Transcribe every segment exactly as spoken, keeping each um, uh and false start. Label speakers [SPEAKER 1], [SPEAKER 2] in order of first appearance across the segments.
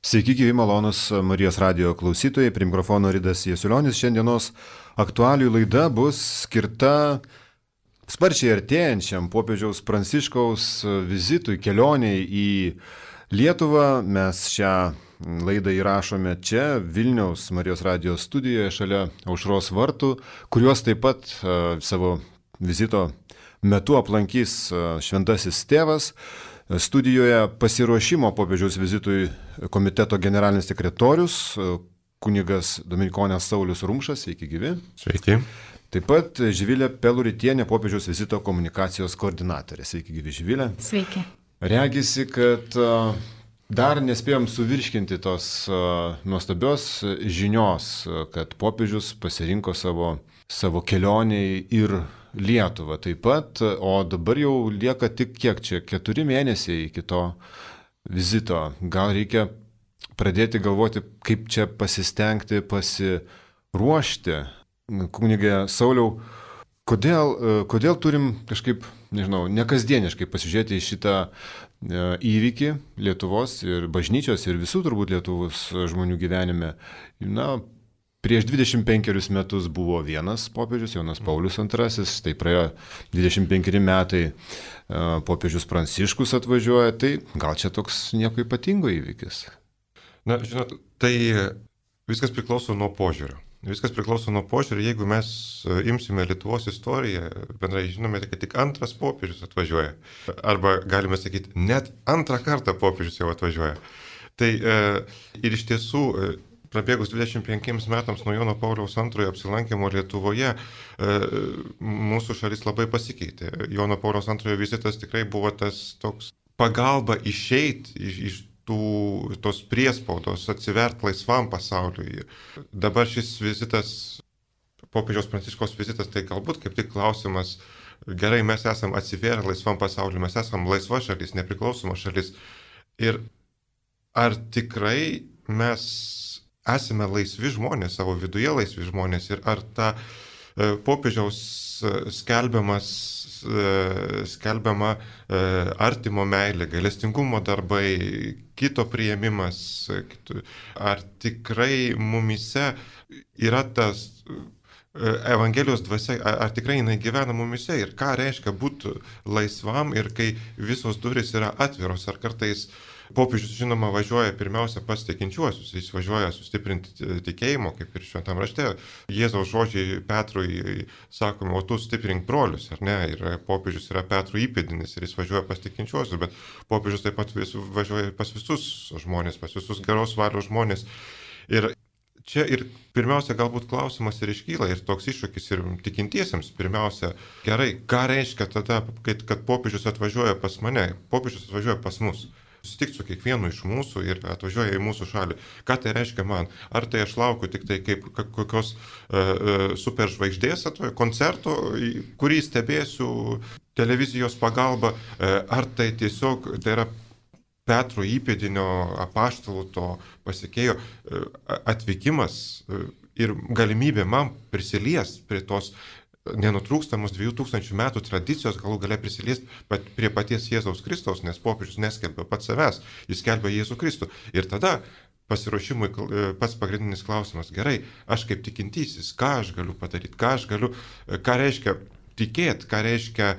[SPEAKER 1] Sveiki, gyvi malonus Marijos radijo klausytojai, prie mikrofono Ridas Jasiulionis. Šiandienos aktualijų laida bus skirta sparčiai artėjančiam popiežiaus Pranciškaus vizitui, kelioniai į Lietuvą. Mes šią laidą įrašome čia, Vilniaus Marijos radijo studijoje, šalia Aušros vartų, kuriuos taip pat uh, savo vizito metu aplankys uh, šventasis tėvas. Studijoje pasiruošimo popiežiaus vizitui komiteto generalinis sekretorius, kunigas Dominikonės Saulius Rumšas, sveiki gyvi.
[SPEAKER 2] Sveiki.
[SPEAKER 1] Taip pat Živilė Peluritienė, popiežiaus vizito komunikacijos koordinatorė. Sveiki gyvi, Živilė.
[SPEAKER 3] Sveiki.
[SPEAKER 1] Regisi, kad dar nespėjom suvirškinti tos nuostabios žinios, kad popiežius pasirinko savo, savo kelioniai ir Lietuvą taip pat, o dabar jau lieka tik kiek čia, keturi mėnesiai iki to vizito. Gal reikia pradėti galvoti, kaip čia pasistengti, pasiruošti. Kunige Sauliau, kodėl, kodėl turim kažkaip, nežinau, nekasdieniškai pasižiūrėti į šitą įvykį Lietuvos ir bažnyčios ir visų turbūt Lietuvos žmonių gyvenime? Na, prieš dvidešimt penkerius metus buvo vienas popiežius, Jonas Paulius antrasis, tai praėjo dvidešimt penkeri metai, popiežius Pranciškus atvažiuoja, tai gal čia toks nieko ypatingo įvykis?
[SPEAKER 2] Na, žinot, tai viskas priklauso nuo požiūrio. Viskas priklauso nuo požiūrio, jeigu mes imsime Lietuvos istoriją, bendrai žinome, kad tik antras popiežius atvažiuoja. Arba galime sakyti, net antrą kartą popiežius jau atvažiuoja. Tai ir iš tiesų, prabėgus dvidešimt penkiems metams nuo Jono Pauliaus antrojo apsilankimo Lietuvoje, mūsų šalis labai pasikeitė. Jono Pauliaus antrojo vizitas tikrai buvo tas toks pagalba išeiti iš, iš tų, tos priespaudos, atsivert laisvam pasauliui. Dabar šis vizitas, popiežiaus Pranciškaus vizitas, tai galbūt kaip tik klausimas, gerai, mes esam atsivėrę laisvam pasauliui, mes esam laisva šalis, nepriklausoma šalis. Ir ar tikrai mes esame laisvi žmonės, savo viduje laisvi žmonės, ir ar ta e, popiežiaus skelbiamas, e, skelbiama e, artimo meilė, gailestingumo darbai, kito priėmimas, ar tikrai mumise yra tas Evangelijos dvasia, ar, ar tikrai jinai gyvena mumise ir ką reiškia būti laisvam ir kai visos durys yra atviros, ar kartais popiežius, žinoma, važiuoja pirmiausia pas tikinčiuosius, jis važiuoja sustiprinti tikėjimo, kaip ir šventam rašte. Jėzaus žodžiai Petrui sakomi, o tu stiprink brolius, ar ne? Ir popiežius yra Petrų įpėdinis ir jis važiuoja pas tikinčiuosius, bet popiežius taip pat vis, važiuoja pas visus žmonės, pas visus geros valios žmonės. Ir čia ir pirmiausia galbūt klausimas ir iškyla, ir toks iššūkis ir tikintiesiems. Pirmiausia, gerai, ką reiškia tada, kad, kad popiežius atvažiuoja pas mane, popiežius atvažiuoja pas mus. Susitikti su kiekvienu iš mūsų ir atvažiuoja į mūsų šalį. Ką tai reiškia man? Ar tai aš laukiu tik tai kaip kokios uh, superžvaigždės atvažiuoja, koncerto, kurį stebėsiu televizijos pagalba, uh, ar tai tiesiog tai yra Petro įpėdinio apaštalų to pasekėjo uh, atvykimas uh, ir galimybė man prisiliesti prie tos nenutrūkstamos dviejų tūkstančių metų tradicijos, galų galia prisiliesti prie paties Jėzaus Kristaus, nes popiežius neskelbia pats savęs, jis skelbia Jėzų Kristų. Ir tada pasiruošimui pats pagrindinis klausimas, gerai, aš kaip tikintysis, ką aš galiu padaryti, ką aš galiu, ką reiškia tikėti, ką reiškia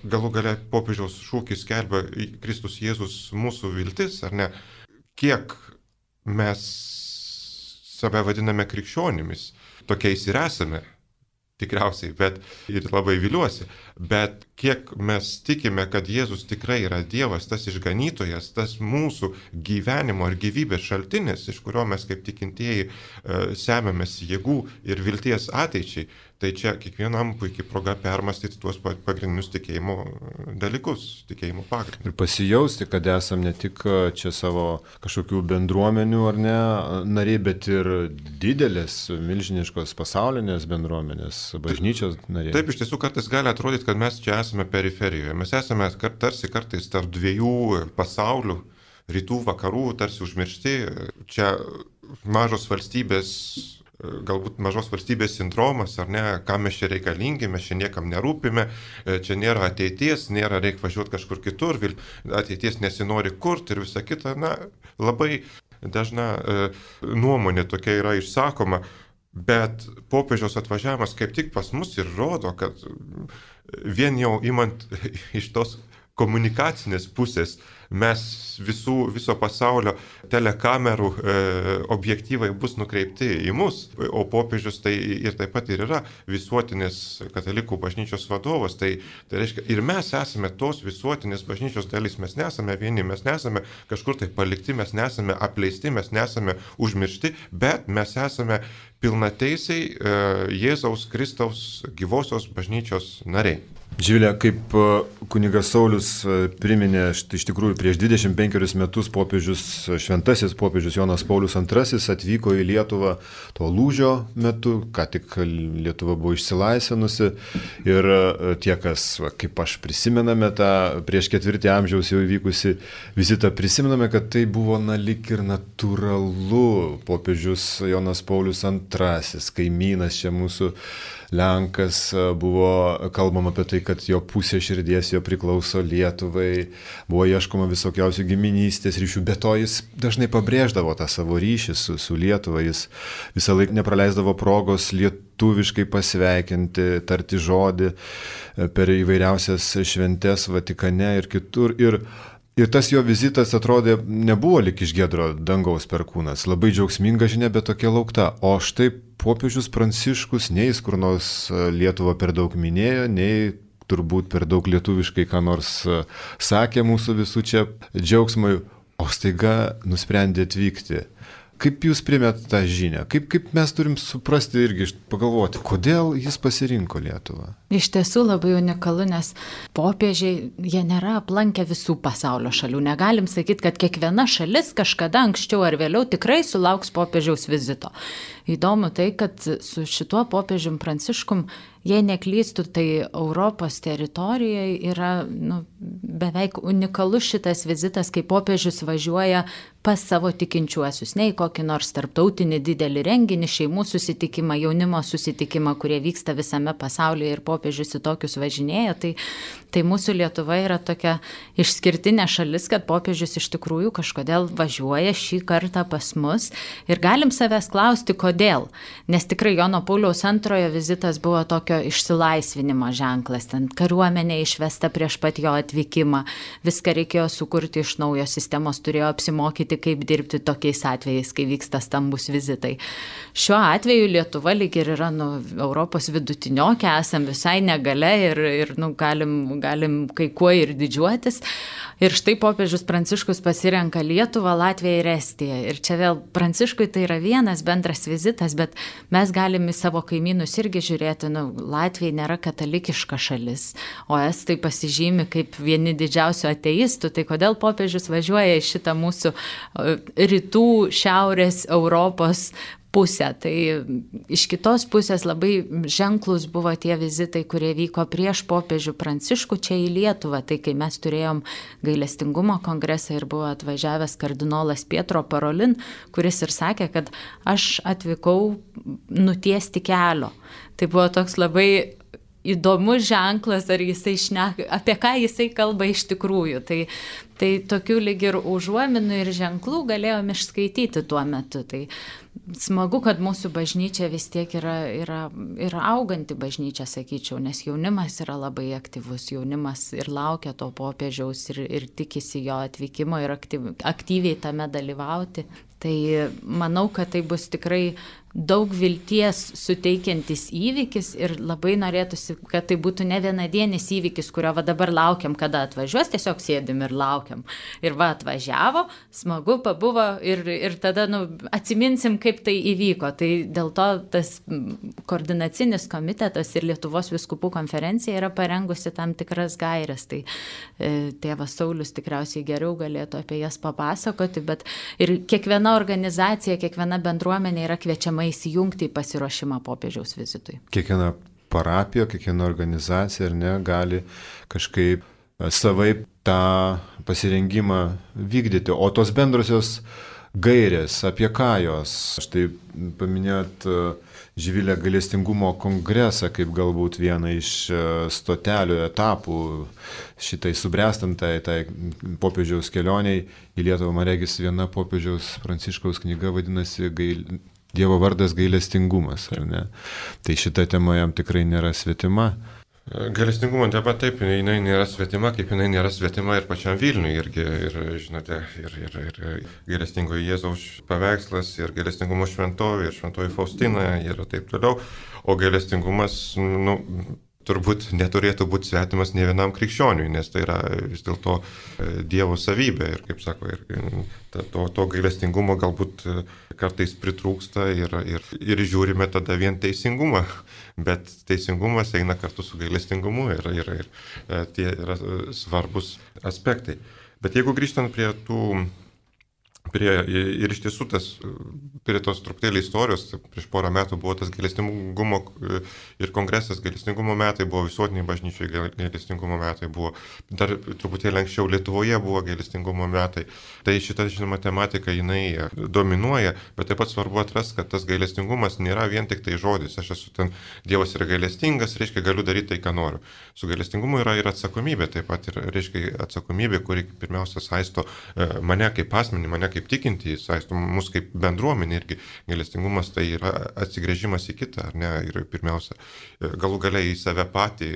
[SPEAKER 2] galų galia popiežiaus šūkis skelbia Kristus Jėzus mūsų viltis, ar ne, kiek mes save vadiname krikščionimis, tokiais ir esame. Tikriausiai, bet ir labai viliuosi, bet kiek mes tikime, kad Jėzus tikrai yra Dievas, tas išganytojas, tas mūsų gyvenimo ir gyvybės šaltinis, iš kurio mes kaip tikintieji e, semiamės jėgų ir vilties ateičiai, tai čia kiekvienam puikiai proga permastyti tuos pagrindinius tikėjimo dalykus, tikėjimo pagrindus.
[SPEAKER 1] Ir pasijausti, kad esam ne tik čia savo kažkokių bendruomenių ar ne nariai, bet ir didelės, milžiniškos pasaulinės bendruomenės, bažnyčios nariai.
[SPEAKER 2] Taip, iš tiesų kartais gali atrodyti, kad mes čia esame periferijoje. Mes esame tarsi kartais tarp dviejų pasaulių, rytų, vakarų, tarsi užmiršti. Čia mažos valstybės, galbūt mažos valstybės sindromas, ar ne, kam mes čia reikalingi, mes čia niekam nerūpime, čia nėra ateities, nėra reikia važiuoti kažkur kitur, ateities nesinori kurti ir visa kita. Na, labai dažna e, nuomonė tokia yra išsakoma, bet popiežiaus atvažiavimas kaip tik pas mus ir rodo, kad vien jau imant iš tos komunikacinės pusės, mes visų, viso pasaulio telekamerų e, objektyvai bus nukreipti į mus, o popiežius tai ir taip pat ir yra visuotinės katalikų bažnyčios vadovas. Tai, tai reiškia, ir mes esame tos visuotinės bažnyčios dalis, mes nesame vieni, mes nesame kažkur tai palikti, mes nesame apleisti, mes nesame užmiršti, bet mes esame pilnateisiai e, Jėzaus Kristaus gyvosios bažnyčios nariai.
[SPEAKER 1] Živilė, kaip kunigas Saulius priminė, iš tikrųjų prieš dvidešimt penkerius metus popiežius, šventasis popiežius Jonas Paulius antrasis atvyko į Lietuvą to lūžio metu, ką tik Lietuva buvo išsilaisvinusi ir tie, kas, kaip aš prisimename tą prieš ketvirtį amžiaus jau įvykusi vizitą, prisimename, kad tai buvo na lyg ir natūralu. Popiežius Jonas Paulius antrasis, kaimynas čia mūsų Lenkas, buvo kalbama apie tai, kad jo pusė širdies jo priklauso Lietuvai, buvo ieškoma visokiausių giminystės ryšių, bet to jis dažnai pabrėždavo tą savo ryšį su, su Lietuva, jis visą laiką nepraleisdavo progos lietuviškai pasveikinti, tarti žodį per įvairiausias šventes Vatikane ir kitur. Ir Ir tas jo vizitas atrodė nebuvo lyg iš giedro dangaus perkūnas, labai džiaugsminga žinia, bet tokia laukta. O štai popiežius Pranciškus nei jis kur nors Lietuvą per daug minėjo, nei turbūt per daug lietuviškai ką nors sakė mūsų visų čia džiaugsmui, o staiga nusprendė atvykti. Kaip jūs primėt tą žinią? Kaip, kaip mes turim suprasti irgi, pagalvoti, kodėl jis pasirinko Lietuvą?
[SPEAKER 3] Iš tiesų labai unikalu, nes popiežiai, jie nėra aplankę visų pasaulio šalių. Negalim sakyti, kad kiekviena šalis kažkada anksčiau ar vėliau tikrai sulauks popiežiaus vizito. Įdomu tai, kad su šituo popiežium Pranciškum, jei neklystų, tai Europos teritorijoje yra nu, beveik unikalus šitas vizitas, kai popiežius važiuoja pas savo tikinčiuosius, ne į kokį nors tarptautinį didelį renginį, šeimų susitikimą, jaunimo susitikimą, kurie vyksta visame pasaulyje ir popiežius į tokius važinėja. Tai, tai mūsų Lietuva yra tokia išskirtinė šalis, kad popiežius iš tikrųjų kažkodėl važiuoja šį kartą pas mus ir galim savęs klausti, kodėl. Nes tikrai Jono Pauliaus antrojo vizitas buvo tokio išsilaisvinimo ženklas, ten kariuomenė išvesta prieš pat jo atvykimą, viską reikėjo sukurti iš naujo, sistemos turėjo apsimokyti, kaip dirbti tokiais atvejais, kai vyksta stambus vizitai. Šiuo atveju Lietuva lyg ir yra nu, Europos vidutiniokė, esam visai negale ir, ir nu, galim, galim kai kuo ir didžiuotis. Ir štai popiežius Pranciškus pasirenka Lietuvą, Latviją ir Estiją. Ir čia vėl Pranciškui tai yra vienas bendras vizitas, bet mes galim į savo kaimynus irgi žiūrėti, nu, Latvija nėra katalikiška šalis, o estai pasižymi kaip vieni didžiausių ateistų, tai kodėl popiežius važiuoja į šitą mūsų rytų, šiaurės Europos pusę. Tai iš kitos pusės labai ženklus buvo tie vizitai, kurie vyko prieš popiežių Pranciškų čia į Lietuvą. Tai kai mes turėjom gailestingumo kongresą ir buvo atvažiavęs kardinolas Pietro Parolin, kuris ir sakė, kad aš atvykau nutiesti kelio. Tai buvo toks labai įdomus ženklas, ar jisai šneka, apie ką jisai kalba iš tikrųjų. Tai, tai tokių lyg ir užuominų ir ženklų galėjom išskaityti tuo metu. Tai smagu, kad mūsų bažnyčia vis tiek yra, yra, yra auganti bažnyčia, sakyčiau, nes jaunimas yra labai aktyvus, jaunimas ir laukia to popiežiaus ir, ir tikisi jo atvykimo ir aktyv, aktyviai tame dalyvauti. Tai manau, kad tai bus tikrai daug vilties suteikiantis įvykis ir labai norėtųsi, kad tai būtų ne vienadienis įvykis, kurio va dabar laukiam, kada atvažiuos, tiesiog sėdim ir laukiam. Ir va atvažiavo, smagu pabuvo ir, ir tada nu, atsiminsim, kaip tai įvyko. Tai dėl to tas koordinacinis komitetas ir Lietuvos vyskupų konferencija yra parengusi tam tikras gaires. Tai e, tėvas Saulius tikriausiai geriau galėtų apie jas papasakoti, bet ir kiekviena organizacija, kiekviena bendruomenė yra kviečiama įsijungti į pasiruošimą popiežiaus vizitui.
[SPEAKER 1] Kiekviena parapija, kiekviena organizacija ar ne, gali kažkaip savaip tą pasirengimą vykdyti. O tos bendrosios gairės, apie ką jos. Štai paminėt Živilė gailestingumo kongresą kaip galbūt vieną iš stotelių etapų šitai subręstantai tai popiežiaus kelioniai į Lietuvą. Man regis viena popiežiaus Pranciškaus knyga vadinasi gail... Dievo vardas gailestingumas, ar ne? Tai šita tema jam tikrai nėra svetima.
[SPEAKER 2] Gailestingumo tema taip, jinai nėra svetima, kaip jinai nėra svetima ir pačiam Vilniui. Irgi, ir, žinote, ir, ir, ir gailestingojo Jėzaus paveikslas, ir gailestingumo šventovė, ir šventoji Faustina, ir taip toliau. O gailestingumas, nu, turbūt neturėtų būti svetimas ne vienam krikščioniui, nes tai yra vis dėlto Dievo savybė. Ir, kaip sako, ir to, to gailestingumo galbūt kartais pritrūksta ir, ir, ir žiūrime tada vien teisingumą. Bet teisingumas eina kartu su gailestingumu ir, ir, ir tie yra svarbus aspektai. Bet jeigu grįžtant prie tų, prie, ir iš tiesų tas, prie tos truputėlį istorijos, prieš porą metų buvo tas gailestingumo ir kongresas, gailestingumo metai buvo visuotiniai bažnyčiai, gailestingumo metai buvo, dar truputėlį anksčiau Lietuvoje buvo gailestingumo metai. Tai šita, žinoma, tematika, jinai dominuoja, bet taip pat svarbu atrasti, kad tas gailestingumas nėra vien tik tai žodis. Aš esu ten, Dievas yra gailestingas, reiškia, galiu daryti tai, ką noriu. Su gailestingumu yra ir atsakomybė, taip pat ir, reiškia, atsakomybė, kuri pirmiausia saisto mane kaip asmenį, mane kaip tikintį, saisto mus kaip bendruomenį irgi. Gailestingumas tai yra atsigręžimas į kitą, ar ne, ir pirmiausia, galų galiai į save patį.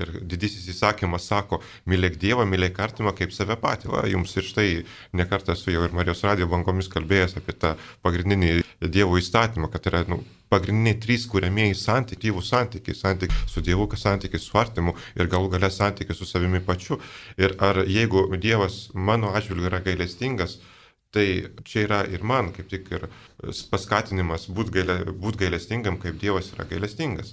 [SPEAKER 2] Ir didysis įsakymas sako, mylėk Dievą, mylėk artimą kaip save patį. Va, jums ir štai nekartą su jau ir Marijos radijo bangomis kalbėjęs apie tą pagrindinį Dievo įstatymą, kad yra nu, pagrindiniai trys kuriamieji santykiai, santykiai, santykiai su Dievu, santykiai su artimu ir galų gale santykiai su savimi pačiu. Ir ar jeigu Dievas mano atžvilgiu yra gailestingas, tai čia yra ir man kaip tik ir paskatinimas būti gaile, būt gailestingam, kaip Dievas yra gailestingas.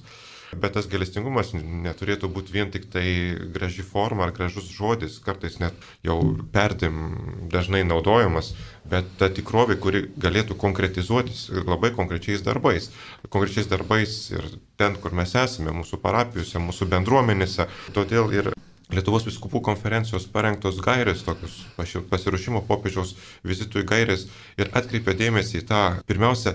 [SPEAKER 2] Bet tas gailestingumas neturėtų būti vien tik tai graži forma ar gražus žodis, kartais net jau perdėm dažnai naudojamas, bet ta tikrovė, kuri galėtų konkretizuotis labai konkrečiais darbais. Konkrečiais darbais ir ten, kur mes esame, mūsų parapijose, mūsų bendruomenėse. Todėl ir Lietuvos vyskupų konferencijos parengtos gairės, tokius pasiruošimo popiežiaus vizitui gairės ir atkreipia dėmesį į tą, pirmiausia,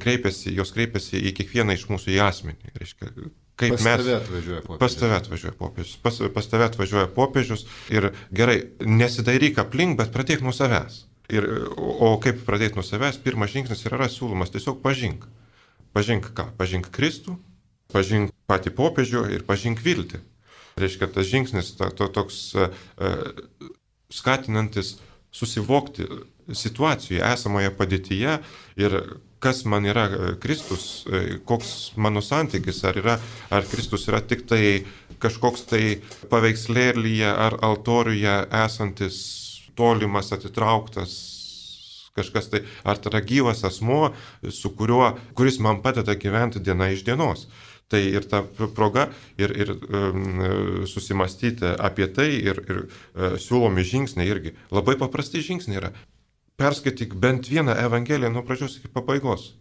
[SPEAKER 2] kreipiasi, jos kreipiasi į kiekvieną iš mūsų į asmenį. Reiškia, kaip
[SPEAKER 1] pas
[SPEAKER 2] mes,
[SPEAKER 1] tave atvažiuoja popiežius.
[SPEAKER 2] Pas tave atvažiuoja popiežius. Pas, pas tave atvažiuoja popiežius ir gerai, nesidairyk aplink, bet pradėk nuo savęs. Ir, o kaip pradėti nuo savęs? Pirmas žingsnis yra siūlomas, tiesiog pažink. Pažink ką? Pažink Kristų, pažink patį popiežių ir pažink viltį. Reiškia, tas žingsnis to, to, toks uh, skatinantis susivokti situacijoje, esamoje padėtyje ir kas man yra Kristus, koks mano santykis, ar, yra, ar Kristus yra tik tai kažkoks tai paveikslėlyje ar altoriuje esantis tolimas, atitrauktas kažkas tai, ar tai yra gyvas asmuo, su kuriuo, kuris man padeda gyventi diena iš dienos. Tai ir ta proga ir, ir um, susimastyti apie tai ir, ir uh, siūlomi žingsniai irgi. Labai paprasti žingsniai yra. Perskaityk bent vieną evangeliją nuo pradžios iki pabaigos.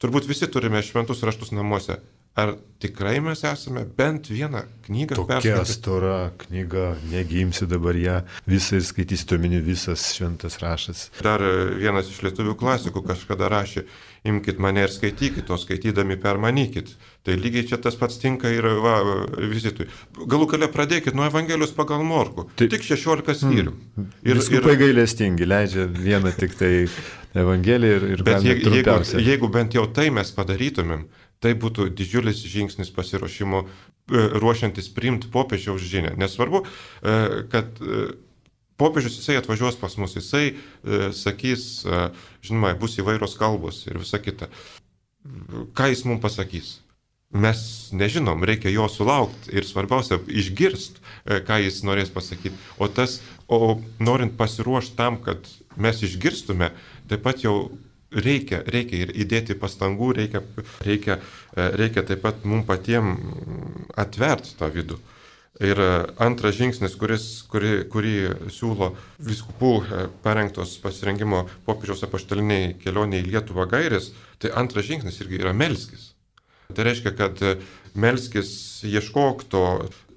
[SPEAKER 2] Turbūt visi turime šventus raštus namuose. Ar tikrai mes esame bent vieną knygą perskaityti?
[SPEAKER 1] Tokia stora knyga, negi imsi dabar ją visą ir skaitysi, tuomini visas šventas raštas.
[SPEAKER 2] Dar vienas iš lietuvių klasikų kažkada rašė, imkit mane ir skaitykit, o skaitydami permanykit. Tai lygiai čia tas pats tinka ir va, vizitui. Galų gale pradėkit nuo Evangelijos pagal Morkų. Tai, tik šešiolika skyrių.
[SPEAKER 1] Mm. Ir viskupai gailestingi, leidžia vieną tik tai Evangeliją ir, ir
[SPEAKER 2] bet jeigu, jeigu, jeigu bent jau tai mes padarytumėm, tai būtų didžiulis žingsnis pasiruošimo ruošiantis priimti popiežiaus žinią. Nesvarbu, kad popiežius jisai atvažiuos pas mus, jisai sakys, žinoma, bus įvairios kalbos ir visa kita. Ką jis mums pasakys? Mes nežinom, reikia jo sulaukti ir svarbiausia išgirsti, ką jis norės pasakyti. O, tas, o norint pasiruošti tam, kad mes išgirstume, taip pat jau reikia, reikia ir įdėti pastangų, reikia, reikia, reikia taip pat mums patiems atverti tą vidų. Ir antras žingsnis, kuris, kurį, kurį siūlo vyskupų parengtos pasirengimo popiežiaus apaštaliniai kelioniai į Lietuvą gairės, tai antras žingsnis irgi yra melskis. Tai reiškia, kad melskis, ieškok to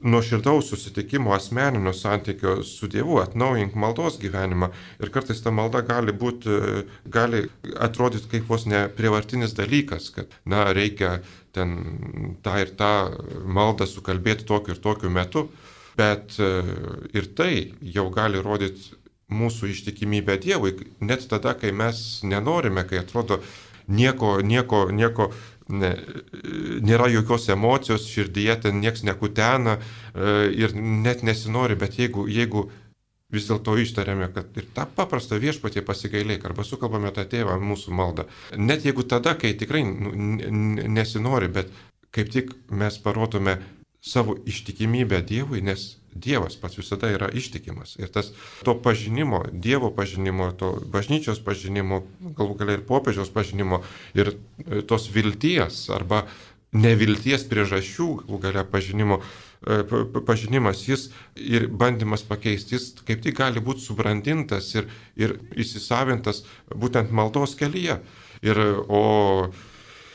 [SPEAKER 2] nuoširdaus susitikimo, asmeninio santykio su Dievu, atnaujink maldos gyvenimą. Ir kartais ta malda gali būti, gali atrodyti kaip vos ne prievartinis dalykas, kad, na, reikia ten tą ir tą maldą sukalbėti tokiu ir tokiu metu. Bet ir tai jau gali rodyti mūsų ištikimybę Dievui, net tada, kai mes nenorime, kai atrodo nieko, nieko, nieko, ne, nėra jokios emocijos, širdyje ten nieks nekutena ir net nesinori, bet jeigu, jeigu vis dėlto ištariame, kad ir tą paprastą viešpatį pasigailėk, arba sukalbame tą tėvą mūsų maldą, net jeigu tada, kai tikrai nesinori, bet kaip tik mes parodome savo ištikimybę Dievui, nes Dievas pats visada yra ištikimas. Ir tas to pažinimo, Dievo pažinimo, to bažnyčios pažinimo, galų galia ir popiežiaus pažinimo, ir tos vilties arba nevilties priežasčių, galų galia pažinimo, pažinimas, jis ir bandymas pakeisti, jis kaip tik gali būti subrandintas ir, ir įsisavintas būtent maldos kelyje. Ir, o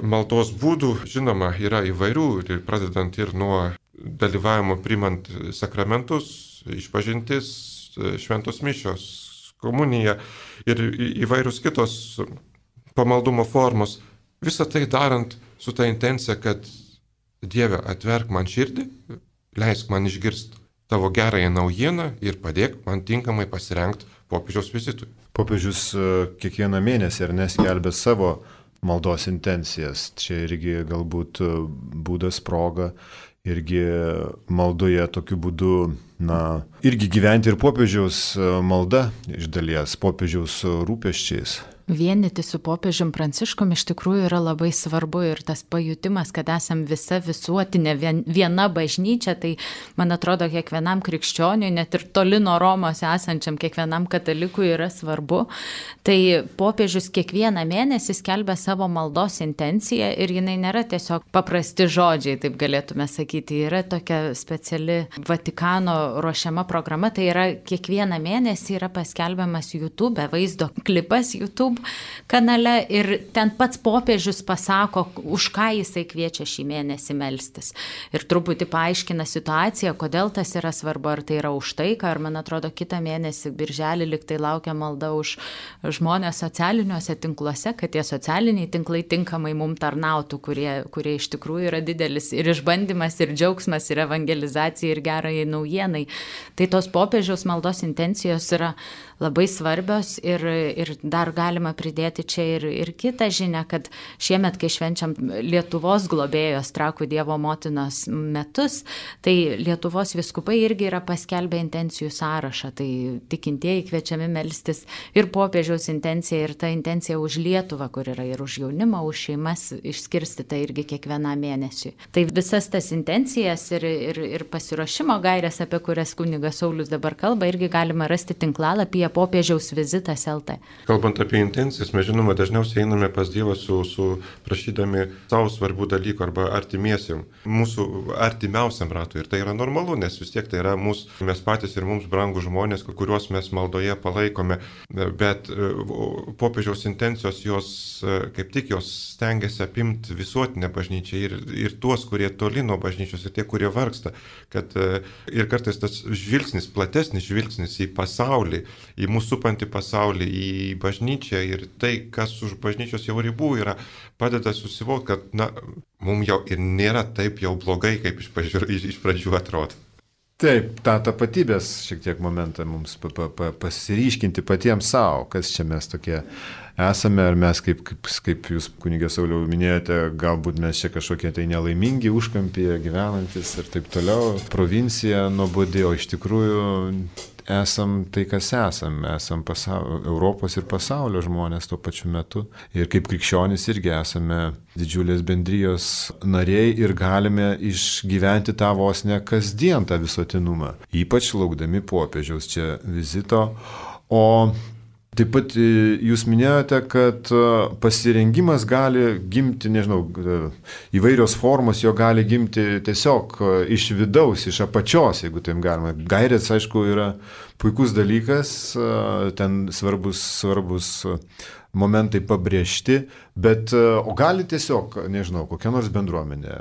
[SPEAKER 2] maldos būdų, žinoma, yra įvairių, ir pradedant ir nuo dalyvavimo primant sakramentus, išpažintis, šventos mišios, komunija ir įvairius kitos pamaldumo formos. Visą tai darant su ta intencija, kad Dieve, atverk man širdį, leisk man išgirsti tavo gerąją naujieną ir padėk man tinkamai pasirengti popiežiaus vizitui.
[SPEAKER 1] Popiežius kiekvieną mėnesį ar neskelbė savo maldos intencijas. Čia irgi galbūt būdas, proga, irgi maldoje tokiu būdu, na, irgi gyventi ir popiežiaus malda iš dalies, popiežiaus rūpesčiais.
[SPEAKER 3] Vienyti su popiežium Pranciškum iš tikrųjų yra labai svarbu ir tas pajutimas, kad esam visa visuotinė viena bažnyčia, tai man atrodo kiekvienam krikščioniui, net ir toli nuo Romos esančiam kiekvienam katalikui yra svarbu. Tai popiežius kiekvieną mėnesį skelbia savo maldos intenciją ir jinai nėra tiesiog paprasti žodžiai, taip galėtume sakyti, yra tokia speciali Vatikano ruošiama programa, tai yra kiekvieną mėnesį yra paskelbiamas YouTube, vaizdo klipas YouTube kanale ir ten pats popiežius pasako, už ką jisai kviečia šį mėnesį melstis. Ir truputį paaiškina situaciją, kodėl tas yra svarbu, ar tai yra už taiką, ar man atrodo kitą mėnesį birželį liktai laukia malda už žmonės socialiniuose tinkluose, kad tie socialiniai tinklai tinkamai mum tarnautų, kurie, kurie iš tikrųjų yra didelis ir išbandymas, ir džiaugsmas, ir evangelizacija, ir gerai naujienai. Tai tos popiežiaus maldos intencijos yra labai svarbios ir, ir dar galima pridėti čia ir, ir kitą žinią, kad šiemet, kai švenčiam Lietuvos globėjos Trakų Dievo motinos metus, tai Lietuvos vyskupai irgi yra paskelbę intencijų sąrašą, tai tikintieji kviečiami melstis ir popiežiaus intencija, ir ta intencija už Lietuvą, kur yra ir už jaunimą, už šeimas išskirstyta irgi kiekvieną mėnesį. Tai visas tas intencijas ir, ir, ir pasiruošimo gairės, apie kurias kunigas Saulius dabar kalba, irgi galima rasti tinklalapyje popiežiaus vizitas L T.
[SPEAKER 2] Kalbant apie intencijas, mes žinoma dažniausiai einame pas Dievą su, su prašydami savo svarbių dalykų arba artimiesiam, mūsų artimiausiam ratui. Ir tai yra normalu, nes vis tiek tai yra mūsų, mes patys ir mums brangų žmonės, kuriuos mes maldoje palaikome. Bet popiežiaus intencijos, jos kaip tik jos stengiasi apimti visuotinę bažnyčią ir, ir tuos, kurie toli nuo bažnyčios, ir tie, kurie vargsta. Kad ir kartais tas žvilgsnis, platesnis žvilgsnis į pasaulį, į mūsų supantį pasaulį, į bažnyčią ir tai, kas už bažnyčios jau ribų yra, padeda susivokti, kad, na, mums jau ir nėra taip jau blogai, kaip iš pradžių, iš pradžių atrodo.
[SPEAKER 1] Taip, tą tapatybės šiek tiek momentą mums pa, pa, pa, pasiryškinti patiems savo, kas čia mes tokie esame, ar mes, kaip, kaip, kaip jūs, kunigė Sauliau, minėjote, galbūt mes čia kažkokie tai nelaimingi užkampyje gyvenantis ir taip toliau, provincija nuobodi, o iš tikrųjų esam tai, kas esam, esam pasaulio, Europos ir pasaulio žmonės tuo pačiu metu. Ir kaip krikščionys irgi esame didžiulės bendrijos nariai ir galime išgyventi tą vos ne kasdien tą visuotinumą, ypač laukdami popiežiaus čia vizito. O taip pat jūs minėjote, kad pasirengimas gali gimti, nežinau, įvairios formos, jo gali gimti tiesiog iš vidaus, iš apačios, jeigu taip galima. Gairės, aišku, yra puikus dalykas, ten svarbus, svarbus momentai pabrėžti, bet o gali tiesiog, nežinau, kokia nors bendruomenė,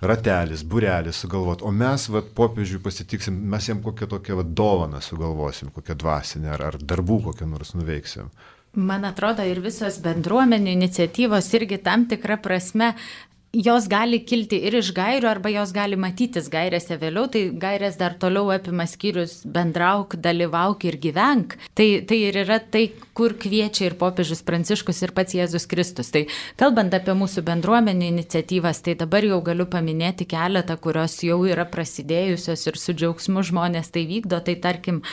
[SPEAKER 1] ratelis, būrelis sugalvot, o mes vat, popiežiui pasitiksim, mes jam kokią tokią vat, dovaną sugalvosim, kokią dvasinę ar, ar darbų kokią nors nuveiksim.
[SPEAKER 3] Man atrodo, ir visos bendruomenių iniciatyvos irgi tam tikrą prasme jos gali kilti ir iš gairių, arba jos gali matytis gairėse vėliau, tai gairės dar toliau apima skyrius bendrauk, dalyvauk ir gyvenk. Tai, tai ir yra tai, kur kviečia ir popiežius Pranciškus, ir pats Jėzus Kristus. Tai kalbant apie mūsų bendruomenių iniciatyvas, tai dabar jau galiu paminėti keletą, kurios jau yra prasidėjusios ir su džiaugsmu žmonės tai vykdo. Tai tarkim,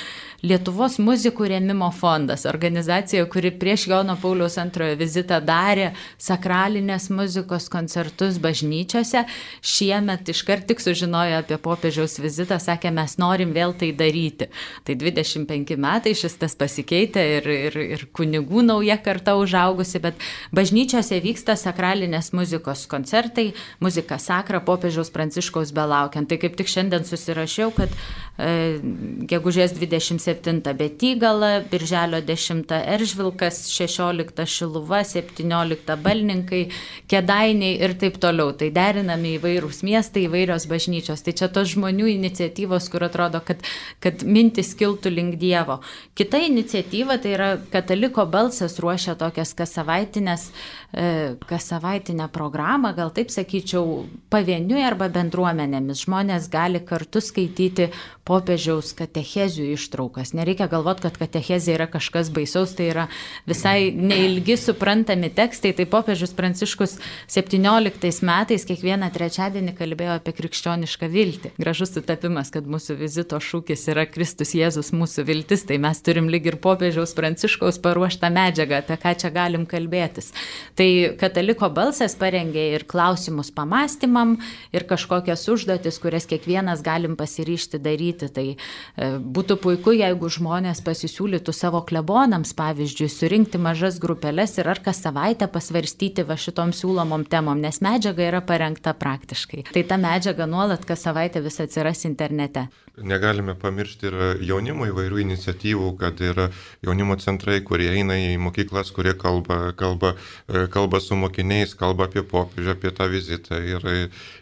[SPEAKER 3] Lietuvos muzikų rėmimo fondas, organizacija, kuri prieš Jono Pauliaus antrojo vizitą darė sakralinės muzikos koncertus bažnyčiose. Šiemet iškart tik sužinojo apie popiežiaus vizitą, sakė, mes norim vėl tai daryti. Tai dvidešimt penki metai šis tas pasikeitė ir, ir, ir kunigų nauja karta užaugusi, bet bažnyčiose vyksta sakralinės muzikos koncertai, muzika sakra popiežiaus Pranciškaus belaukiant. Tai kaip tik šiandien susirašiau, kad e, gegužės dvidešimt septintą Betygala, birželio dešimtą Eržvilkas, šešioliktą Šiluva, septynioliktą Balninkai, Kėdainiai ir taip toliau. Tai derinami įvairūs miestai, įvairios bažnyčios. Tai čia tos žmonių iniciatyvos, kur atrodo, kad, kad mintis kiltų link Dievo. Kita iniciatyva, tai yra Kataliko balsas ruošia tokias kasavaitinės, e, kasavaitinę programą, gal taip sakyčiau, pavieniui arba bendruomenėmis. Žmonės gali kartu skaityti popiežiaus katechezių ištraukas. Nereikia galvoti, kad katechezė yra kažkas baisaus, tai yra visai neilgi suprantami tekstai. Tai popiežius Pranciškus septynioliktais metais kiekvieną trečiadienį kalbėjo apie krikščionišką viltį. Gražus sutapimas, kad mūsų vizito šūkis yra Kristus Jėzus mūsų viltis, tai mes turim lyg ir popiežiaus Pranciškaus paruoštą medžiagą, apie ką čia galim kalbėtis. Tai Kataliko balsas parengė ir klausimus pamastymam, ir kažkokias užduotis, kurias kiekvienas galim pasiryžti daryti. Tai e, būtų puiku, jeigu žmonės pasisiūlytų savo klebonams, pavyzdžiui, surinkti mažas grupelės ir ar kas savaitę pasvarstyti va šitom siūlomom temom, nes medžiaga yra parengta praktiškai. Tai ta medžiaga nuolat kas savaitę vis atsiras internete.
[SPEAKER 2] Negalime pamiršti ir jaunimo įvairių iniciatyvų, kad yra jaunimo centrai, kurie eina į mokyklas, kurie kalba, kalba, kalba su mokiniais, kalba apie popiežių, apie tą vizitą ir,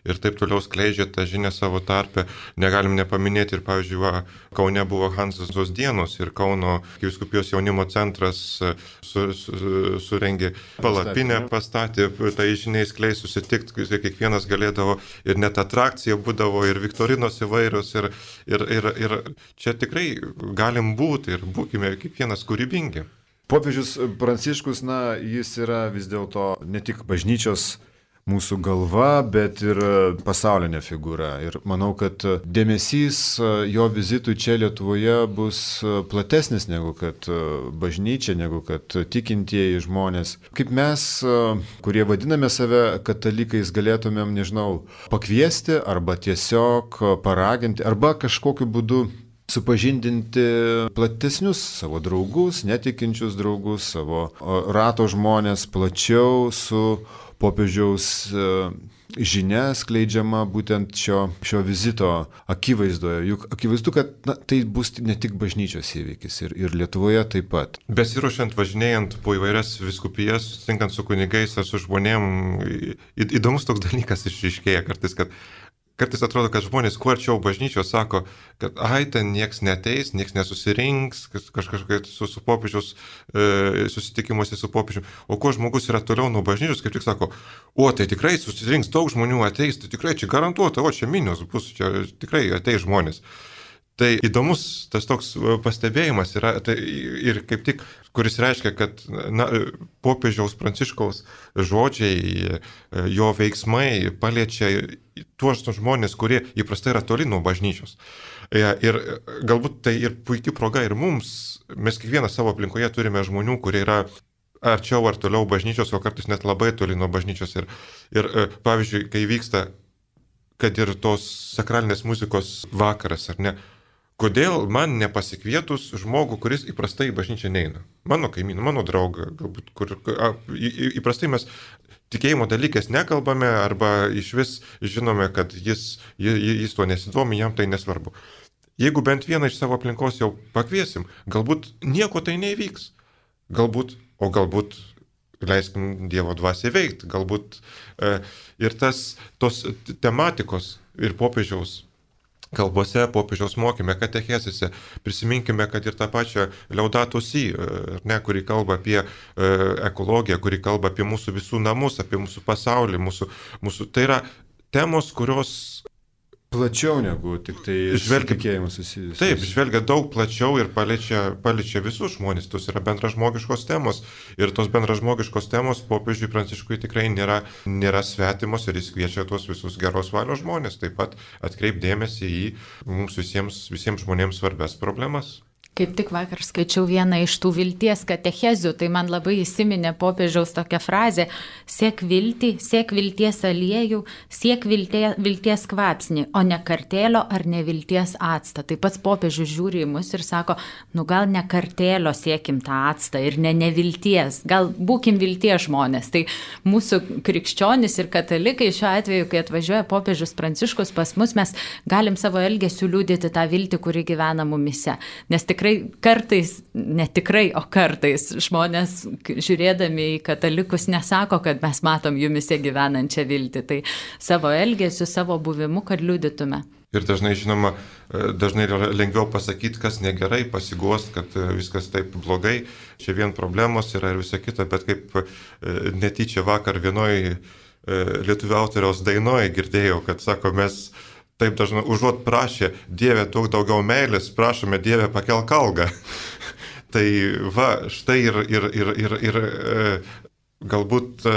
[SPEAKER 2] ir taip toliau skleidžia tą žinią savo tarpę. Negalim nepaminėti ir, pavyzdžiui, va, Kaune buvo Hanzos dienos ir Kauno vyskupijos jaunimo centras su, su, surengė palapinę, pastatė, tai žiniai skleis susitikti, kiekvienas galėdavo ir net atrakcija būdavo ir viktorinos įvairios ir Ir, ir, ir čia tikrai galim būti ir būkime kiekvienas kūrybingi.
[SPEAKER 1] Popiežius Pranciškus, na, jis yra vis dėlto ne tik bažnyčios mūsų galva, bet ir pasaulinė figūra. Ir manau, kad dėmesys jo vizitui čia Lietuvoje bus platesnis negu kad bažnyčia, negu kad tikintieji žmonės. Kaip mes, kurie vadiname save katalikais, galėtumėm, nežinau, pakviesti arba tiesiog paraginti, arba kažkokiu būdu supažindinti platesnius savo draugus, netikinčius draugus, savo rato žmonės plačiau su popiežiaus žinia skleidžiama būtent šio, šio vizito akivaizdoje. Juk akivaizdu, kad na, tai bus ne tik bažnyčios įvykis ir, ir Lietuvoje taip pat.
[SPEAKER 2] Besiruošiant, važinėjant po įvairias viskupijas, susitinkant su kunigais ar su žmonėm, įdomus toks dalykas išryškėja kartais, kad Kartais atrodo, kad žmonės kuo arčiau bažnyčios sako, kad ai, ten nieks neteis, nieks nesusirinks, kažkaip su, su popiežiaus e, susitikimuose su popiežiu. O kuo žmogus yra toliau nuo bažnyčios, kaip tik sako, o tai tikrai susirinks, daug žmonių ateis, tai tikrai čia garantuota, o čia minios bus, čia tikrai ateis žmonės. Tai įdomus tas toks pastebėjimas yra tai ir kaip tik, kuris reiškia, kad na, popiežiaus Pranciškaus žodžiai, jo veiksmai paliečia tuos žmonės, kurie įprastai yra toli nuo bažnyčios. Ir galbūt tai ir puikia proga ir mums, mes kiekvieną savo aplinkoje turime žmonių, kurie yra arčiau ar toliau bažnyčios, o kartais net labai toli nuo bažnyčios. Ir, ir pavyzdžiui, kai vyksta, kad ir tos sakralinės muzikos vakaras, ar ne, kodėl man nepasikvietus žmogų, kuris įprastai į bažnyčią neina? Mano kaimyną, mano draugą, galbūt, kur a, į, įprastai mes tikėjimo dalykės nekalbame arba iš vis žinome, kad jis, jis, jis to nesidomi, jam tai nesvarbu. jeigu bent vieną iš savo aplinkos jau pakviesim, galbūt nieko tai neįvyks. Galbūt, o galbūt leiskim Dievo dvasiai veikti. Galbūt e, ir tas, tos tematikos ir popiežiaus kalbose, popiežiaus mokyme, katechezėse, prisiminkime, kad ir tą pačią Laudato Si, ne, kuri kalba apie e, ekologiją, kuri kalba apie mūsų visų namus, apie mūsų pasaulį, mūsų, mūsų, tai yra temos, kurios
[SPEAKER 1] plačiau negu tik tai tikėjimas susijusius.
[SPEAKER 2] Taip, žvelgia daug plačiau ir paliečia, paliečia visus žmonės. Tos yra bendražmogiškos temos. Ir tos bendražmogiškos temos popiežiui Pranciškui tikrai nėra, nėra svetimos ir jis kviečia tuos visus geros valios žmonės. Taip pat atkreipdėmėsi į mums visiems, visiems žmonėms svarbias problemas.
[SPEAKER 3] Kaip tik vakar skaičiau vieną iš tų vilties katechezių, tai man labai įsiminė popiežiaus tokia frazė: siek viltį, siek vilties aliejų, siek viltie, vilties kvapsnį, o ne kartėlio ar nevilties actą. Tai pats popiežius žiūri į mus ir sako, nu gal ne kartėlio siekim tą actą ir ne nevilties, gal būkim vilties žmonės. Tai mūsų krikščionys ir katalikai šiuo atveju, kai atvažiuoja popiežius Pranciškus pas mus, mes galim savo elgesiu liudyti tą viltį, kuri gyvena mumise. Nes tikrai kartais, ne tikrai, o kartais žmonės žiūrėdami į katalikus nesako, kad mes matom jumise gyvenančią viltį. Tai savo elgesiu, savo buvimu, kad liudytume.
[SPEAKER 2] Ir dažnai, žinoma, dažnai yra lengviau pasakyti, kas negerai, pasiguost, kad viskas taip blogai, čia vien problemos yra ir visa kita, bet kaip netyčia vakar vienoj lietuvių autoriaus dainoje girdėjau, kad sako, mes taip dažnai užuot prašė, Dieve, duok daugiau meilės, prašome, Dieve, pakelk algą. Tai va, štai ir, ir, ir, ir, ir galbūt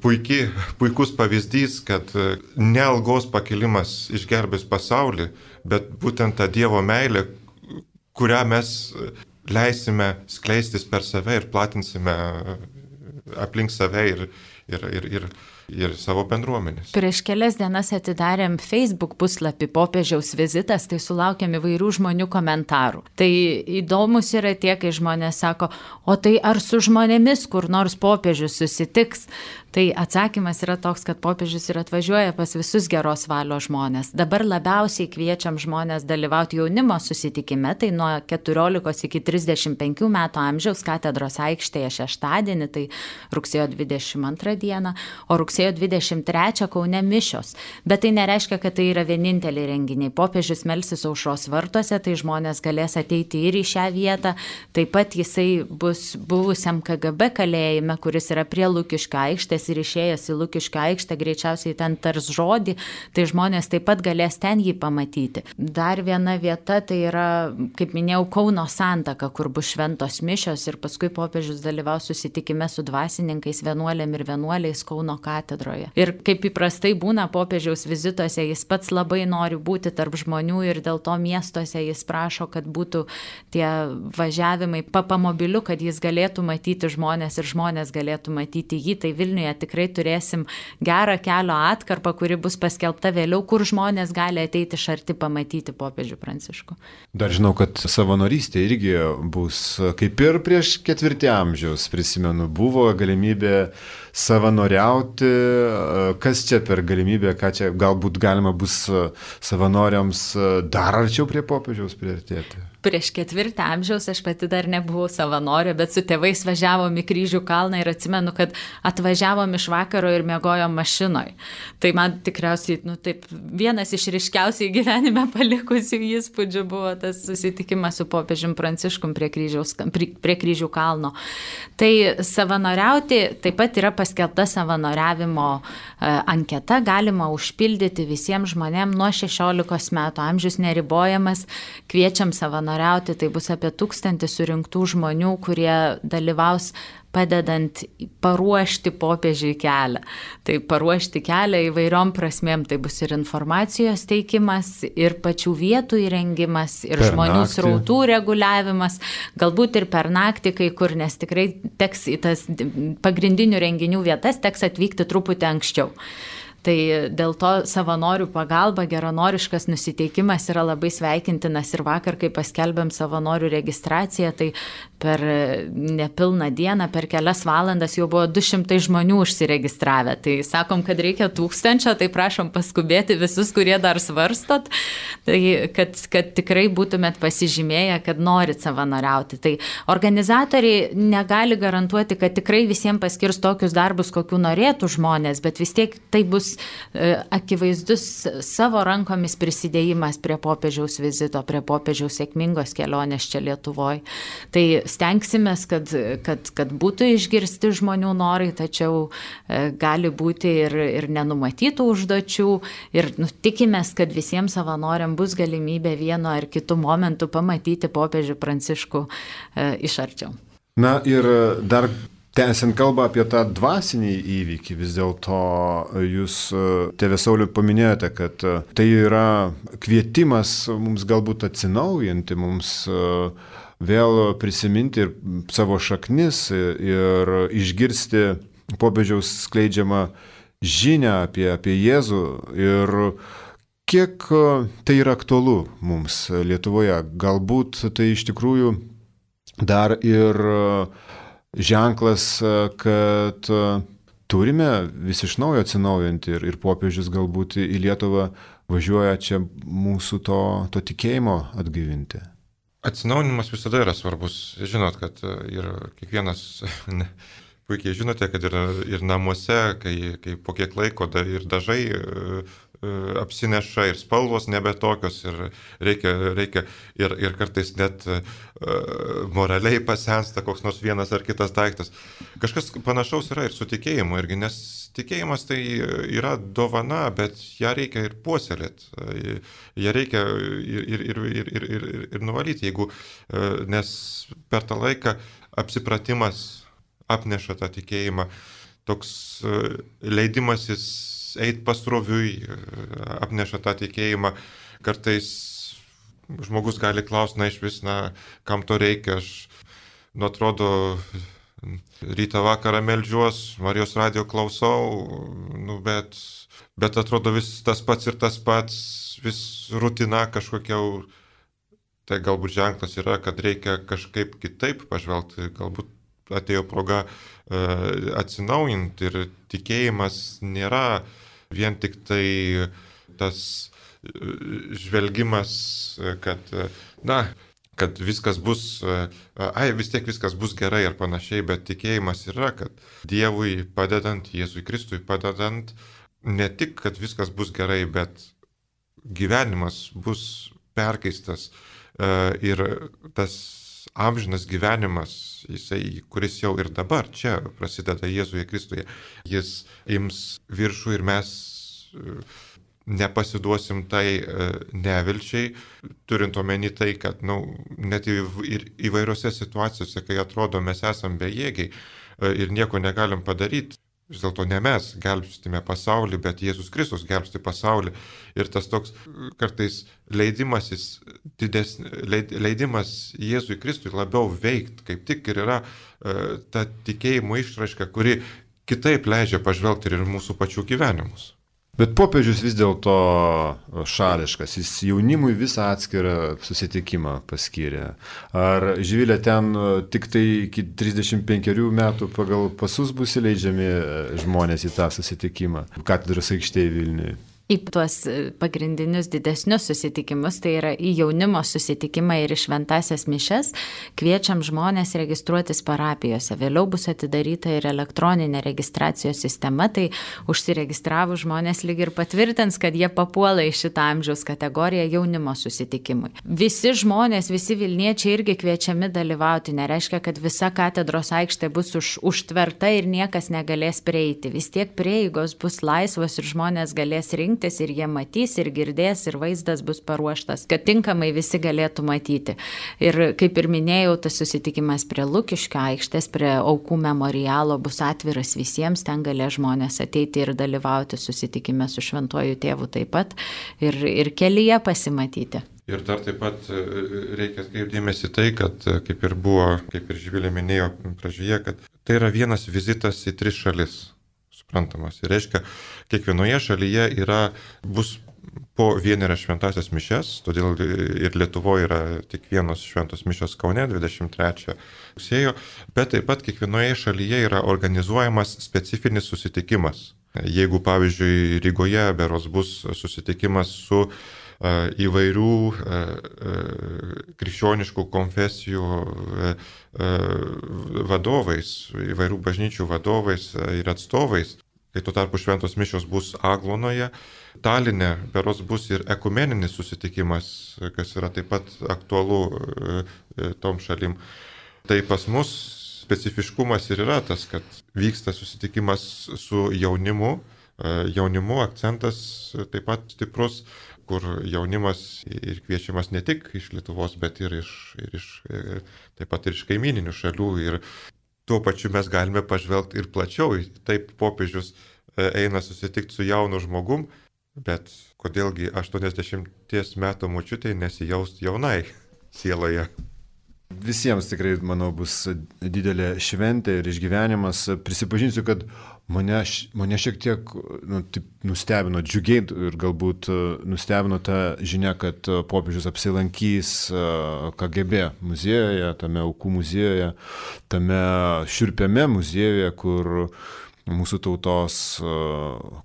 [SPEAKER 2] puikiai, puikus pavyzdys, kad ne algos pakelimas išgelbės pasaulį, bet būtent ta Dievo meilė, kurią mes leisime skleistis per save ir platinsime aplink save ir, ir, ir, ir ir savo bendruomenės.
[SPEAKER 3] Prieš kelias dienas atidarėm Facebook puslapį popiežiaus vizitas, tai sulaukėm įvairių žmonių komentarų. Tai įdomus yra tie, kai žmonės sako, o tai ar su žmonėmis kur nors popiežius susitiks? Tai atsakymas yra toks, kad popiežius ir atvažiuoja pas visus geros valios žmonės. Dabar labiausiai kviečiam žmonės dalyvauti jaunimo susitikime, tai nuo keturiolikos iki trisdešimt penkių metų amžiaus katedros aikštėje šeštadienį, tai rugsėjo dvidešimt antrą dieną, o rugsėjo dvidešimt trečią Kaune mišios. Bet tai nereiškia, kad tai yra vieninteliai renginiai. Popiežius melsis Aušros vartuose, tai žmonės galės ateiti ir į šią vietą. Taip pat jisai bus buvusiam K G B kalėjime, kuris yra prie Lukiškių aikštės, ir išėjęs į Lukiškių aikštę, greičiausiai ten tars žodį, tai žmonės taip pat galės ten jį pamatyti. Dar viena vieta, tai yra, kaip minėjau, Kauno Santaka, kur bus šventos mišios ir paskui popiežius dalyvaus susitikime su dvasininkais, vienuolėm ir vienuoliais Kauno katedroje. Ir kaip įprastai būna popiežiaus vizituose, jis pats labai nori būti tarp žmonių ir dėl to miestuose jis prašo, kad būtų tie važiavimai papamobiliu, kad jis galėtų matyti žmonės ir žmonės galėtų matyti jį. Tai Vilniuje tikrai turėsim gerą kelio atkarpą, kuri bus paskelbta vėliau, kur žmonės gali ateiti iš arti pamatyti popiežių Pranciškų.
[SPEAKER 1] Dar žinau, kad savanorystė irgi bus, kaip ir prieš ketvirtį amžiaus, prisimenu, buvo galimybė savanoriauti. Kas čia per galimybė, ką čia galbūt galima bus savanoriams dar arčiau prie popiežiaus priartėti?
[SPEAKER 3] Prieš ketvirtį amžiaus aš pati dar nebuvau savanorė, bet su tėvais važiavom į Kryžių kalną ir atsimenu, kad atvažiavom iš vakaro ir miegojom mašinoj. Tai man tikriausiai, nu taip, vienas iš ryškiausiai gyvenime palikusių įspūdžių buvo tas susitikimas su popiežium Pranciškum prie, kryžiaus, prie, prie Kryžių kalno. Tai savanoriauti taip pat yra paskelbta savanoriavimo anketa, galima užpildyti visiems žmonėms nuo šešiolikos metų, amžius neribojamas, kviečiam savanoriauti. Tai bus apie tūkstantį surinktų žmonių, kurie dalyvaus padedant paruošti popiežiui kelią. Tai paruošti kelią įvairiom prasmėm, tai bus ir informacijos teikimas, ir pačių vietų įrengimas, ir per žmonių naktį. Srautų reguliavimas, galbūt ir per naktį kai kur, nes tikrai teks į tas pagrindinių renginių vietas, teks atvykti truputį anksčiau. Tai dėl to savanorių pagalba, geranoriškas nusiteikimas yra labai sveikintinas ir vakar, kai paskelbėm savanorių registraciją, tai per nepilną dieną, per kelias valandas jau buvo du šimtai žmonių užsiregistravę. Tai sakom, kad reikia tūkstančio, tai prašom paskubėti visus, kurie dar svarstot, tai kad, kad tikrai būtumėt pasižymėję, kad norit savanoriauti. Tai organizatoriai negali garantuoti, kad tikrai visiems paskirs tokius darbus, kokių norėtų žmonės, bet vis tiek tai bus e, akivaizdus savo rankomis prisidėjimas prie popiežiaus vizito, prie popiežiaus sėkmingos kelionės čia Lietuvoje. Tai stengsimės, kad, kad, kad būtų išgirsti žmonių norai, tačiau e, gali būti ir, ir nenumatytų užduočių ir nu, tikimės, kad visiems savanoriam bus galimybė vienu ar kitu momentu pamatyti popiežių Pranciškų e, iš arčiau.
[SPEAKER 1] Na ir dar tęsiant kalbą apie tą dvasinį įvykį, vis dėlto jūs, tėve Sauliau, paminėjote, kad tai yra kvietimas mums galbūt atsinaujinti, mums vėl prisiminti ir savo šaknis ir išgirsti popiežiaus skleidžiamą žinią apie, apie Jėzų ir kiek tai yra aktualu mums Lietuvoje. Galbūt tai iš tikrųjų dar ir ženklas, kad turime vis iš naujo atsinaujinti ir, ir popiežius galbūt į Lietuvą važiuoja čia mūsų to, to tikėjimo atgaivinti.
[SPEAKER 2] Atsinaujinimas visada yra svarbus. Žinot, kad ir kiekvienas, ne, puikiai žinote, kad ir, ir namuose, kai, kai po kiek laiko da, ir dažai apsineša ir spalvos nebe tokios ir reikia, reikia ir, ir kartais net uh, moraliai pasensta koks nors vienas ar kitas daiktas. Kažkas panašaus yra ir su tikėjimu irgi, nes tikėjimas tai yra dovana, bet ją reikia ir puoselėti, ją reikia ir, ir, ir, ir, ir, ir, ir nuvalyti, jeigu, uh, nes per tą laiką apsipratimas apneša tą tikėjimą, toks uh, leidimasis eit pasroviui, apneša tą tikėjimą. Kartais žmogus gali klausti, na iš vis, na, kam to reikia, aš, nu, atrodo, rytą vakarą meldžiuos, Marijos radijo klausau, nu, bet, bet atrodo vis tas pats ir tas pats, vis rutina kažkokia, tai galbūt ženklas yra, kad reikia kažkaip kitaip pažvelgti, galbūt atėjo proga uh, atsinaujinti ir tikėjimas nėra vien tik tai tas žvelgimas, kad, na, kad viskas bus, ai, vis tiek viskas bus gerai ar panašiai, bet tikėjimas yra, kad Dievui padedant, Jėzui Kristui padedant, ne tik, kad viskas bus gerai, bet gyvenimas bus perkeistas ir tas amžinas gyvenimas, jisai, kuris jau ir dabar čia prasideda Jėzuje Kristuje, jis ims viršų ir mes nepasiduosim tai nevilčiai, turint omeny tai, kad nu, net ir įvairiose situacijose, kai atrodo mes esam bejėgiai ir nieko negalim padaryti, vis dėlto ne mes gelbstime pasaulį, bet Jėzus Kristus gelbsti pasaulį. Ir tas toks kartais leidimasis, dides, leidimas Jėzui Kristui labiau veikti, kaip tik ir yra uh, ta tikėjimo išraiška, kuri kitaip leidžia pažvelgti ir mūsų pačių gyvenimus.
[SPEAKER 1] Bet popiežius vis dėlto šališkas, jis jaunimui visą atskirą susitikimą paskyrė. Ar, Živilė, ten tik tai iki trisdešimt penkerių metų pagal pasus bus įleidžiami žmonės į tą susitikimą katedros aikštėje Vilniuje?
[SPEAKER 3] Į tuos pagrindinius didesnius susitikimus, tai yra į jaunimo susitikimą ir į šventasias mišes, kviečiam žmonės registruotis parapijose. Vėliau bus atidaryta ir elektroninė registracijos sistema, tai užsiregistravus žmonės lyg ir patvirtins, kad jie papuola į šitą amžiaus kategoriją jaunimo susitikimui. Visi žmonės, visi Vilniečiai irgi kviečiami dalyvauti, nereiškia, kad visa katedros aikštė bus už, užtverta ir niekas negalės prieiti. Vis tiek prieigos bus laisvos ir žmonės galės rinkti ir jie matys, ir girdės, ir vaizdas bus paruoštas, kad tinkamai visi galėtų matyti. Ir kaip ir minėjau, tas susitikimas prie Lukiškio aikštės, prie aukų memorialo bus atviras visiems, ten galės žmonės ateiti ir dalyvauti susitikime su Šventuoju Tėvu taip pat ir, ir kelyje pasimatyti.
[SPEAKER 2] Ir dar taip pat reikia atkreipdėmėsi tai, kad kaip ir buvo, kaip ir Živilė minėjo pradžioje, kad tai yra vienas vizitas į tris šalis. Suprantamas. Ir reiškia, kiekvienoje šalyje yra, bus po vienerias šventasias mišias, todėl ir Lietuvoje yra tik vienos šventos mišios Kaune dvidešimt trečią rugsėjo, bet taip pat kiekvienoje šalyje yra organizuojamas specifinis susitikimas. Jeigu, pavyzdžiui, Rygoje beros bus susitikimas su įvairių krikščioniškų konfesijų vadovais, įvairių bažnyčių vadovais ir atstovais, kai tuo tarpu šventos mišios bus Aglonoje, Taline beros bus ir ekumeninis susitikimas, kas yra taip pat aktualu tom šalim. Tai pas mus specifiškumas ir yra tas, kad vyksta susitikimas su jaunimu, jaunimu akcentas taip pat stiprus, kur jaunimas ir kviečiamas ne tik iš Lietuvos, bet ir iš, ir iš taip pat ir iš kaimyninių šalių. Ir tuo pačiu mes galime pažvelgti ir plačiau. Taip popiežius eina susitikti su jaunu žmogum, bet kodėlgi aštuoniasdešimties metų močiutei nesijaust jaunai sieloje.
[SPEAKER 1] Visiems tikrai, manau, bus didelė šventė ir išgyvenimas. Prisipažinsiu, kad mane, mane šiek tiek nu, taip, nustebino, džiugiai ir galbūt nustebino ta žinia, kad popiežius apsilankys K G B muziejuje, tame aukų muziejuje, tame šiurpiame muziejuje, kur mūsų tautos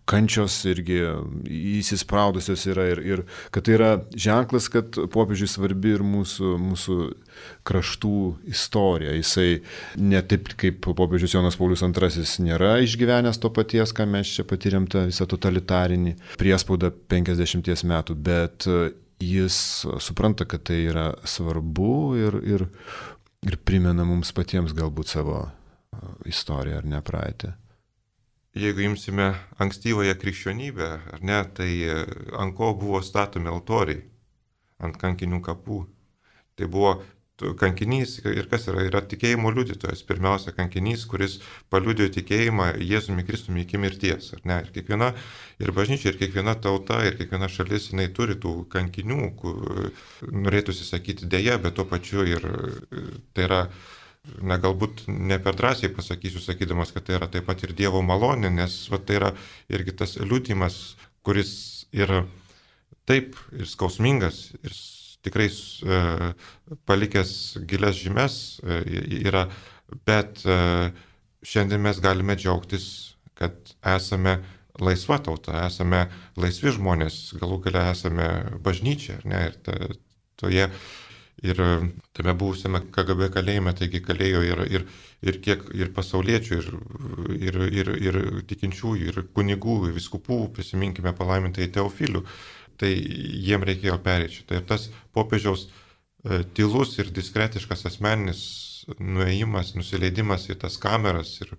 [SPEAKER 1] kančios irgi įsispraudusios yra ir, ir kad tai yra ženklas, kad popiežiui svarbi ir mūsų, mūsų kraštų istorija. Jisai ne taip kaip popiežius Jonas Paulius antrasis nėra išgyvenęs to paties, ką mes čia patyrėm, tą visą totalitarinį priespaudą penkiasdešimties metų, bet jis supranta, kad tai yra svarbu ir, ir, ir primena mums patiems galbūt savo istoriją ar ne praeitį.
[SPEAKER 2] Jeigu imsime ankstyvąją krikščionybę, ar ne, tai ant ko buvo statomi altoriai, ant kankinių kapų. Tai buvo kankinys ir kas yra, yra tikėjimo liudytojas, pirmiausia kankinys, kuris paliudijo tikėjimą Jėzumi Kristumi iki mirties. Ar ne? Ir kiekviena, ir bažnyčia, ir kiekviena tauta, ir kiekviena šalis, jinai turi tų kankinių, kur norėtųsi sakyti dėja, bet tuo pačiu ir tai yra, na galbūt ne per drąsiai pasakysiu, sakydamas, kad tai yra taip pat ir Dievo malonė, nes va, tai yra irgi tas liudijimas, kuris yra taip ir skausmingas, ir tikrai e, palikęs gilias žymes e, yra, bet e, šiandien mes galime džiaugtis, kad esame laisva tauta, esame laisvi žmonės, galų gale esame bažnyčia, ar ne, ir ta, toje ir tame buvusiame K G B kalėjime, taigi kalėjo ir, ir, ir kiek ir pasauliečių, ir, ir, ir, ir tikinčiųjų, ir kunigų, ir viskupų, prisiminkime palaimintai Teofilių, tai jiem reikėjo pereiti šitą. Ir tas popiežiaus e, tylus ir diskretiškas asmeninis nuėjimas, nusileidimas į tas kameras ir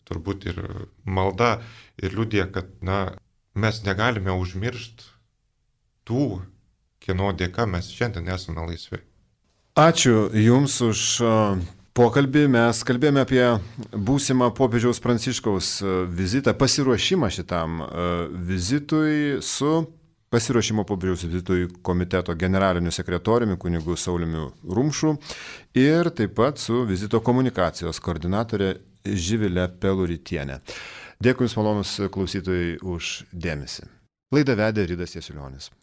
[SPEAKER 2] turbūt ir malda ir liudija, kad na, mes negalime užmiršti tų, kieno dėka mes šiandien esame laisvi.
[SPEAKER 1] Ačiū Jums už pokalbį. Mes kalbėjome apie būsimą popiežiaus Pranciškaus vizitą, pasiruošimą šitam vizitui su pasiruošimo popiežiaus vizitui komiteto generaliniu sekretoriumi kunigu Sauliumi Rumšu ir taip pat su vizito komunikacijos koordinatorė Živilė Peluritienė. Dėkui Jums, malonus klausytojai, už dėmesį. Laidą vedė Ridas Jasiulionis.